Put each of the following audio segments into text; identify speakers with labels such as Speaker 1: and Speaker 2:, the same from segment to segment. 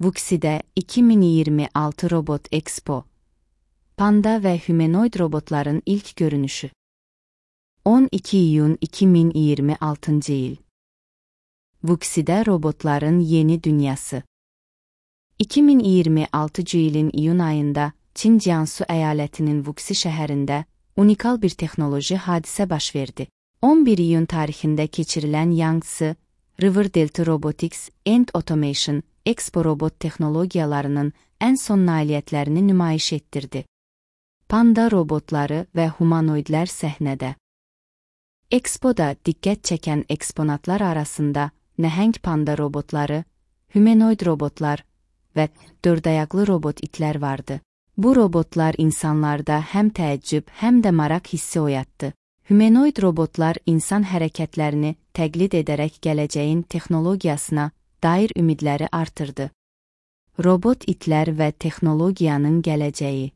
Speaker 1: Vuxi'de 2026 Robot Expo. Panda ve humanoid robotların ilk görünüşü. 12 iyun 2026 yıl. Vuxi'de robotların yeni dünyası. 2026 yılın iyun ayında Çin Jiangsu eyaletinin Vuxi şehrinde unikal bir teknoloji hadise baş verdi. 11 iyun tarihinde geçirilen Yangtze River Delta Robotics and Automation Expo robot teknologiyalarının en son nailiyyətlərini nümayiş ettirdi. Panda robotları ve humanoidler səhnədə. Expo'da dikkat çeken eksponatlar arasında nəhəng panda robotları, humanoid robotlar ve dördayaqlı robot itler vardı. Bu robotlar insanlarda hem təəccüb hem de maraq hissi oyattı. Humanoid robotlar insan hərəkətlərini təqlid edərək gələcəyin texnologiyasına dair ümidləri artırdı. Robot itlər və texnologiyanın gələcəyi.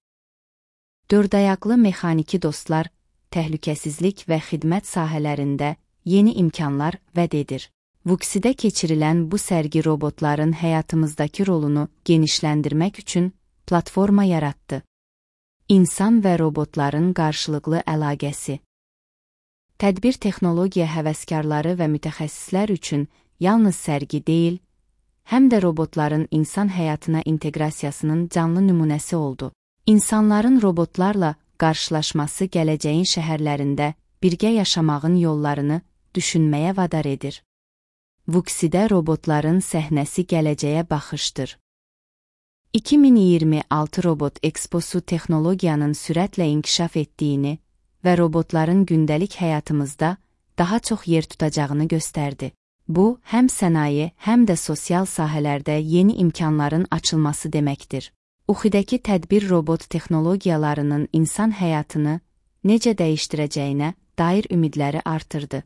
Speaker 1: Dördayaqlı mexaniki dostlar, təhlükəsizlik və xidmət sahələrində yeni imkanlar vəd edir. Vuxi'de keçirilən bu sərgi robotların həyatımızdakı rolunu genişləndirmək üçün platforma yarattı. İnsan və robotların qarşılıqlı əlaqəsi. Tədbir texnologiya həvəskarları və mütəxəssislər üçün yalnız sərgi deyil, həm də robotların insan həyatına inteqrasiyasının canlı nümunəsi oldu. İnsanların robotlarla qarşılaşması gələcəyin şəhərlərində birgə yaşamağın yollarını düşünməyə vadar edir. Vuxi'de robotların səhnəsi gələcəyə baxışdır. 2026 Robot Exposu texnologiyanın sürətlə inkişaf etdiyini və robotların gündəlik həyatımızda daha çox yer tutacağını göstərdi. Bu, həm sənaye, həm də sosial sahələrdə yeni imkanların açılması deməkdir. Vuxi'dəki tədbir robot texnologiyalarının insan həyatını necə dəyişdirəcəyinə dair ümidləri artırdı.